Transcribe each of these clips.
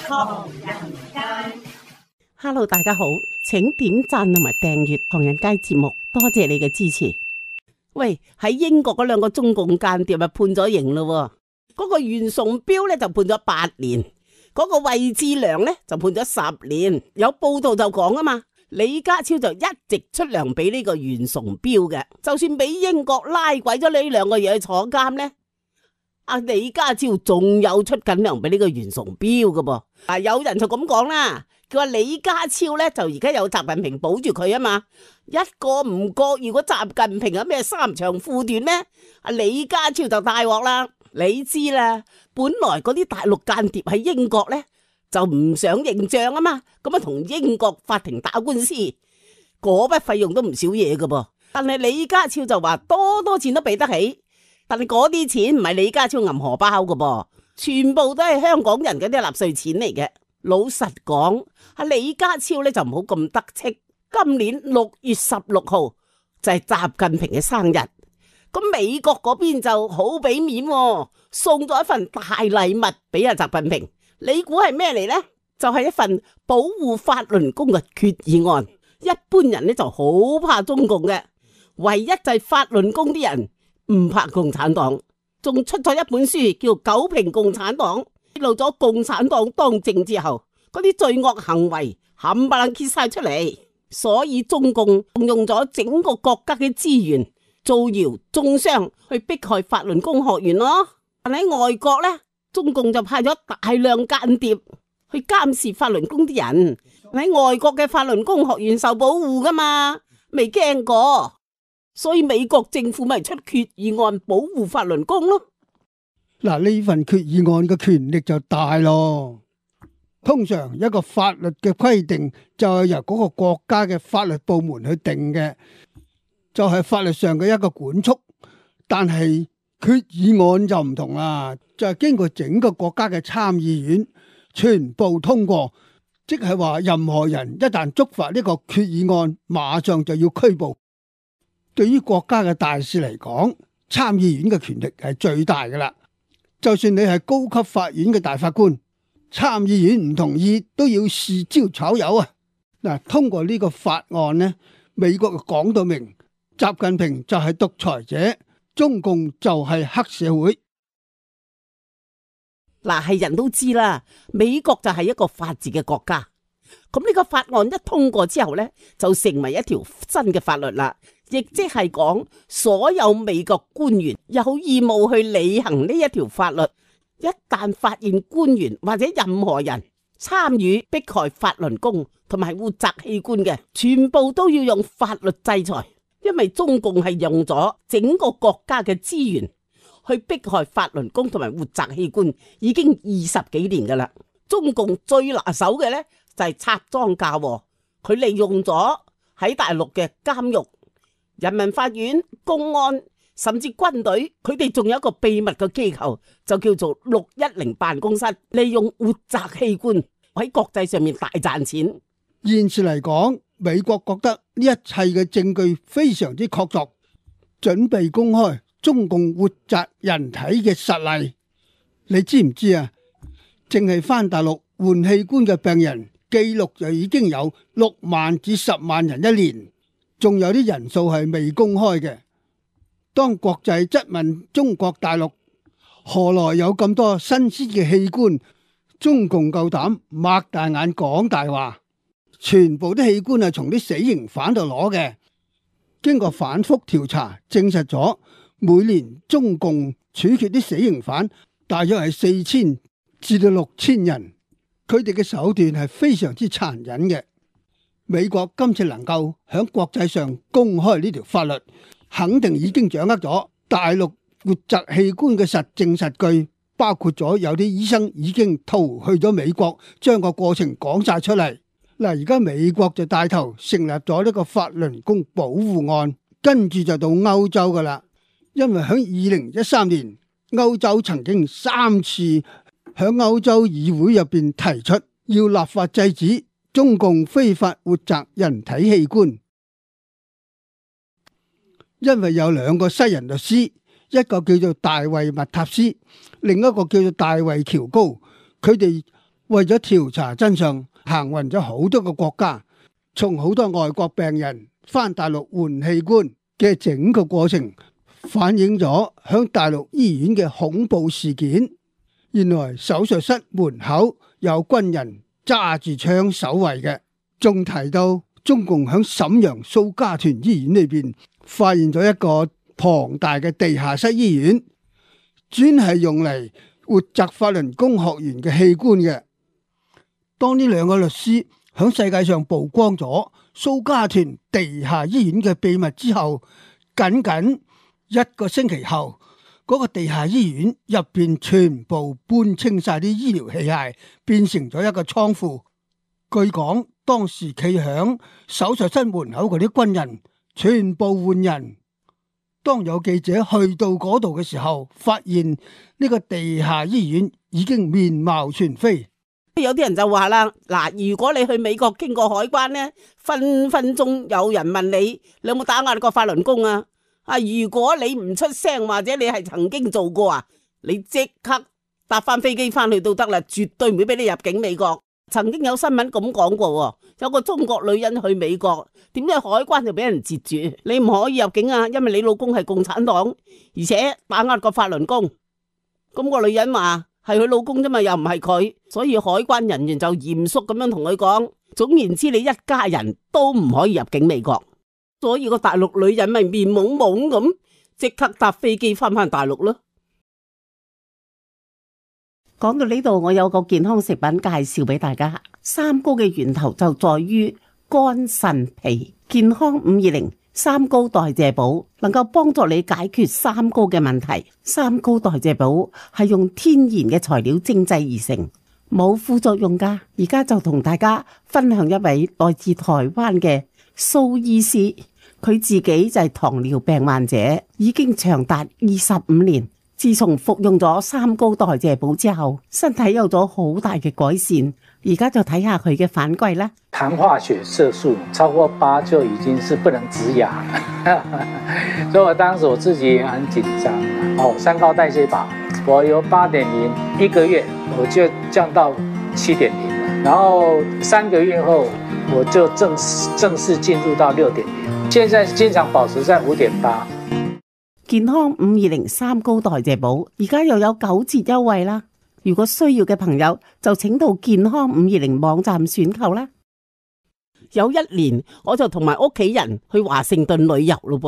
唐人街。Hello， 大家好，請點讚同埋訂閱唐人街節目，多謝你嘅支持。喂，喺英國嗰兩個中共間諜啊判咗刑咯，嗰個袁崇標咧就判咗8年，嗰個魏志良咧就判咗10年。有報道就講啊嘛，李家超就一直出糧俾呢個袁崇標嘅，就算俾英國拉鬼咗呢兩個嘢去坐監咧，阿李家超仲有出緊糧俾呢個袁崇標噶噃。啊，有人就咁講啦。佢話李家超咧就而家有習近平保住佢啊嘛，一個唔覺，如果習近平有咩3長褲短咧，阿李家超就大鑊啦。你知啦，本來嗰啲大陸間諜喺英國咧就唔想認賬啊嘛，咁啊同英國法庭打官司，嗰筆費用都唔少嘢噶噃。但係李家超就話多錢都俾得起，但係嗰啲錢唔係李家超銀荷包噶噃，全部都係香港人嗰啲納稅錢嚟嘅。老實講，阿李家超咧就唔好咁得戚。今年6月16號就係習近平嘅生日，咁美國嗰邊就好俾面，送咗一份大禮物俾阿習近平。你估係咩嚟呢？就係一份保護法輪功嘅決議案。一般人咧就好怕中共嘅，唯一就係法輪功啲人唔怕共產黨，仲出咗一本書叫《九評共產黨》。揭露咗共產黨當政之後嗰啲罪惡行為冚唪唥揭晒出嚟，所以中共動用咗整個國家嘅資源造謠中傷去迫害法輪功學員咯。但喺外國呢，中共就派咗大量間諜去監視法輪功啲人。喺外國嘅法輪功學員受保護噶嘛，未驚過，所以美國政府咪出決議案保護法輪功咯。嗱，呢份決議案嘅權力就大咯。通常一個法律嘅規定就係由嗰個國家嘅法律部門去定嘅，就係法律上嘅一個管束。但係決議案就唔同啦，就係經過整個國家嘅參議院全部通過，即係話任何人一旦觸犯呢個決議案，馬上就要拘捕。對於國家嘅大事嚟講，參議院嘅權力係最大噶啦。就算你係高級法院嘅大法官，參議院唔同意都要試招炒魷啊！嗱，通過呢個法案呢，美國講到明，習近平就係獨裁者，中共就係黑社會。嗱，係人都知啦，美國就係一個法治嘅國家。咁呢個法案一通過之後呢，就成為一條新嘅法律啦。亦即係講，所有美國官員有義務去履行呢一條法律。一旦發現官員或者任何人參與迫害法輪功同埋活摘器官嘅，全部都要用法律制裁。因為中共係用咗整個國家嘅資源去迫害法輪功同埋活摘器官，已經20幾年噶啦。中共最拿手嘅呢，就係插贓嫁禍，佢利用咗喺大陸嘅監獄、人民法院、公安甚至軍隊，佢哋仲有一個秘密嘅機構，就叫做610辦公室，利用活摘器官喺國際上面大賺錢。現時嚟講，美國覺得呢一切嘅證據非常之確鑿，準備公開中共活摘人體嘅實例。你知唔知啊？淨係返大陸換器官嘅病人記錄就已經有6萬至10萬人一年，仲有啲人數係未公開嘅。當國際質問中國大陸何來有咁多新鮮嘅器官，中共夠膽擘大眼講大話，全部啲器官係從啲死刑犯度攞嘅。經過反覆調查，證實咗每年中共處決啲死刑犯大約係4000至到6000人，佢哋嘅手段係非常之殘忍嘅。美國今次能夠響國際上公開呢條法律，肯定已經掌握咗大陸活摘器官嘅實證實據，包括咗有啲醫生已經逃去咗美國，將個過程講晒出嚟。嗱，而家美國就帶頭成立咗呢個法輪功保護案，跟住就到歐洲噶啦。因為喺2013年，歐洲曾經3次喺歐洲議會入邊提出要立法制止中共非法活摘人體器官。因為有2個西人律師，一個叫做大衛麥塔斯，另一個叫做大衛喬高，佢哋為咗調查真相，行運咗好多個國家，從好多外國病人返大陸換器官嘅整個過程，反映咗響大陸醫院嘅恐怖事件。原來手術室門口有軍人揸住槍守衛嘅，仲提到中共響瀋陽蘇家屯醫院裏邊發現咗一個龐大嘅地下室醫院，專係用嚟活摘法輪功學員嘅器官嘅。當呢兩個律師響世界上曝光咗蘇家屯地下醫院嘅秘密之後，僅僅一個星期後，嗰個地下醫院入邊全部搬清晒啲醫療器械，變成咗一個倉庫。據講，當時企響手術室門口嗰啲軍人全部換人。當有記者去到嗰度嘅時候，發現呢個地下醫院已經面貌全非。有啲人就話啦，嗱，如果你去美國經過海關呢，分分鐘有人問你有冇打壓過法輪功啊？如果你唔出聲或者你係曾經做過啊，你即刻搭翻飛機翻去都得啦，絕對唔會俾你入境美國。曾經有新聞咁講過，有個中國女人去美國，點知海關就俾人截住，你唔可以入境啊，因為你老公係共產黨，而且打壓過法輪功。咁個女人話係佢老公啫嘛，又唔係佢，所以海關人員就嚴肅咁樣同佢講，總言之，你一家人都唔可以入境美國。所以個大陸女人咪面懵懵咁，即刻搭飛機翻大陸咯。講到呢度，我有個健康食品介紹俾大家。三高嘅源頭就在於肝腎脾，健康520三高代謝寶能夠幫助你解決三高嘅問題。三高代謝寶係用天然嘅材料精製而成，冇副作用噶。而家就同大家分享一位來自台灣嘅蘇醫師，佢自己就係糖尿病患者，已經長達25年。自從服用咗三高代謝寶之後，身體有咗好大嘅改善。而家就睇下佢嘅反饋啦。糖化血色素超過8就已經是不能止癢了，所以我當時我自己也很緊張。三高代謝寶，我由8.0一個月我就降到7.0了，然後3個月後我就正式進入到6.0，現在經常保持在5.8。健康520三高代謝寶而家又有9折優惠啦！如果需要嘅朋友就請到健康520網站選購啦。有一年我就同埋屋企人去華盛頓旅遊咯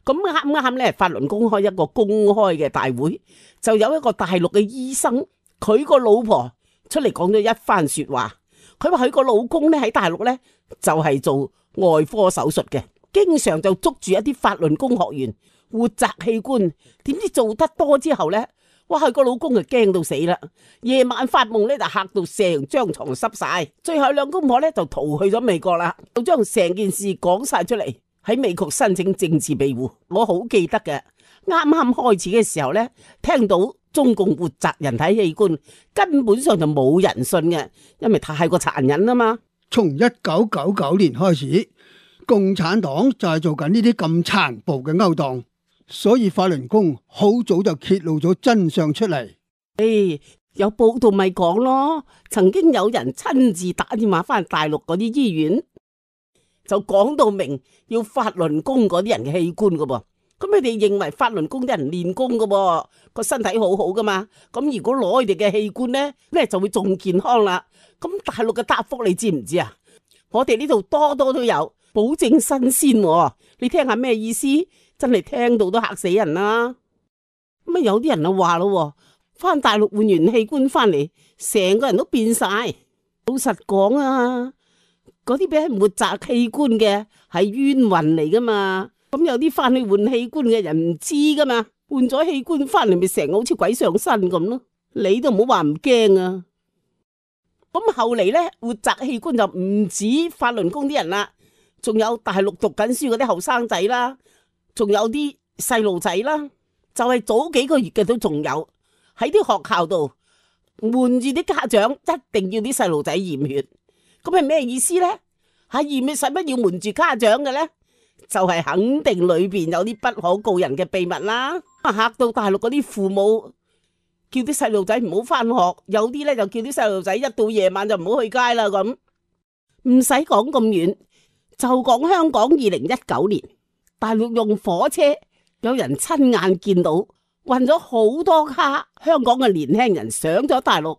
噃，咁啱咧法輪功開一個公開嘅大會，就有一個大陸嘅醫生，佢個老婆出嚟講咗一番說話。佢話佢個老公咧喺大陸咧就係做外科手術嘅，經常就捉住一啲法輪功學員活摘器官，點知做得多之後呢，哇！佢個老公就驚到死啦，夜晚發夢呢就嚇到成張床濕晒，最後兩公婆呢就逃去咗美國啦，就將成件事講晒出嚟，喺美國申請政治庇護。我好記得嘅，啱啱開始嘅時候呢，聽到中共活摘人體器官，根本上就冇人信嘅，因為太過殘忍啊嘛。從1999年開始，共產黨就係做緊呢啲咁殘暴嘅勾當。所以法輪功好早就揭露咗真相出嚟。有報道咪講咯，曾經有人親自打電話翻大陸嗰啲醫院，就講到明要法輪功嗰啲人嘅器官噶噃。咁佢哋認為法輪功啲人練功噶噃，個身體好好噶嘛。咁如果攞佢哋嘅器官呢，咩就會仲健康啦。咁大陸嘅答覆你知唔知啊？我哋呢度多多都有，保證新鮮。你聽下咩意思？真係聽到都嚇死人啦！咁有啲人就話咯，翻大陸換完器官翻嚟，成個人都變晒。老實講啊，嗰啲俾人活摘器官嘅係冤魂嚟噶嘛。咁有啲翻去換器官嘅人唔知噶嘛，換咗器官翻嚟咪成個好似鬼上身咁咯。你都唔好話唔驚啊！咁後嚟呢，活摘器官就唔止法輪功啲人啦，仲有大陸讀緊書嗰啲後生仔啦。仲有啲細路仔啦，就係早幾個月嘅都仲有喺啲學校度瞞住啲家長，一定要啲細路仔驗血。咁係咩意思呢？驗血使乜要瞞住家長嘅呢？就係肯定裏邊有啲不可告人嘅秘密啦。嚇到大陸嗰啲父母叫啲細路仔唔好翻學，有啲咧就叫啲細路仔一到夜晚就唔好去街啦咁。唔使講咁遠，就講香港2019年，大陸用火車，有人親眼見到運咗好多卡香港嘅年輕人上咗大陸，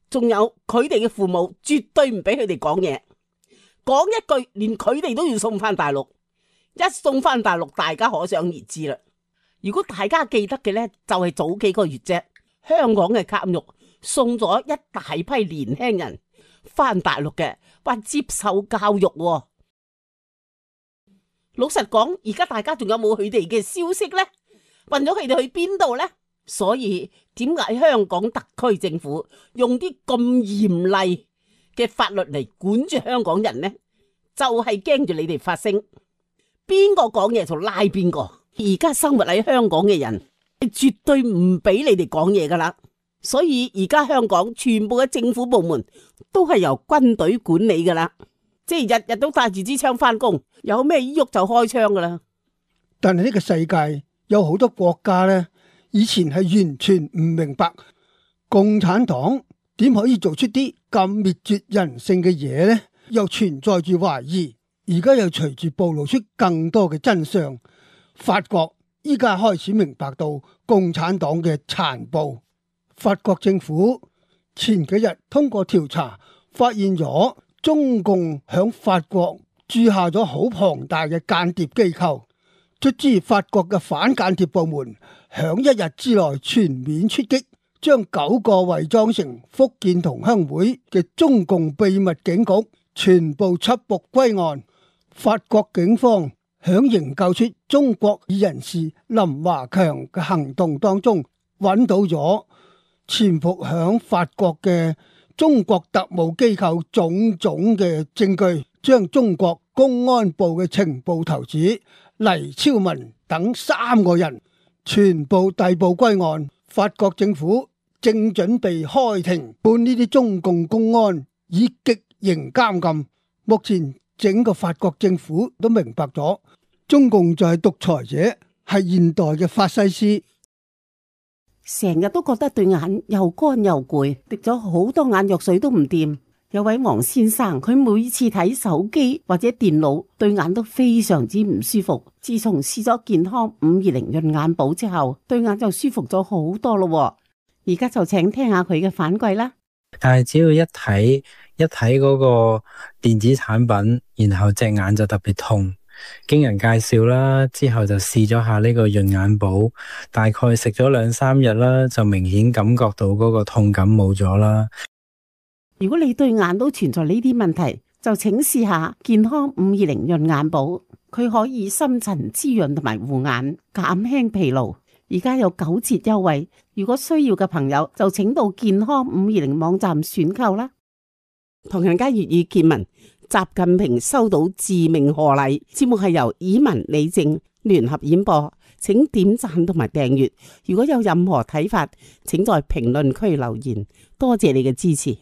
仲有佢哋嘅父母絕對唔俾佢哋講嘢，講一句連佢哋都要送翻大陸，一送翻大陸大家可想而知啦。如果大家記得嘅呢，就係早幾個月啫，香港嘅監獄送咗一大批年輕人翻大陸嘅，話接受教育喎。老實講，而家大家仲有冇佢哋嘅消息呢？運咗佢哋去邊度呢？所以點解香港特區政府用啲咁嚴厲嘅法律嚟管住香港人呢？就係驚住你哋發聲，邊個講嘢就拉邊個。而家生活喺香港嘅人係絕對唔俾你哋講嘢噶啦。所以而家香港全部嘅政府部門都係由軍隊管理噶啦，即係日日都帶住支槍翻工，有咩喐就開槍噶啦。但係呢個世界有好多國家呢，以前係完全唔明白共產黨點可以做出啲咁滅絕人性嘅嘢呢，又存在住懷疑。而家又隨住暴露出更多嘅真相，法國依家開始明白到共產黨嘅殘暴。法國政府前幾日通過調查，發現咗中共響法國駐下咗好龐大嘅間諜機構。卒之法國嘅反間諜部門響一日之內全面出擊，將9個偽裝成福建同鄉會嘅中共秘密警局全部緝捕歸案。法國警方響營救出中國裔人士林華強嘅行動當中，揾到咗潛伏響法國嘅中國特務機構種種嘅證據，將中國公安部嘅情報頭子黎超文等3個人全部逮捕歸案。法國政府正準備開庭判呢啲中共公安以極刑監禁。目前整個法國政府都明白咗，中共就係獨裁者，係現代嘅法西斯。成日都覺得對眼又乾又攰，滴咗好多眼藥水都唔掂。有位黃先生，佢每次睇手機或者電腦，對眼都非常之唔舒服。自從試咗健康520潤眼寶之後，對眼就舒服咗好多咯。而家就請聽下佢嘅反饋啦。但係只要一睇嗰個電子產品，然後隻眼就特別痛。經人介紹啦，之後就試咗下呢個潤眼寶，大概食咗2-3日啦，就明顯感覺到嗰個痛感冇咗啦。如果你對眼都存在呢啲問題，就請試下健康520潤眼寶，佢可以深層滋潤同埋護眼，減輕疲勞。而家有9折優惠，如果需要嘅朋友就請到健康520網站選購啦。唐人街粵語見聞，習近平收到致命賀禮。節目係由以文、李靜聯合演播，請點讚同埋訂閱。如果有任何睇法，請在評論區留言。多謝你嘅支持。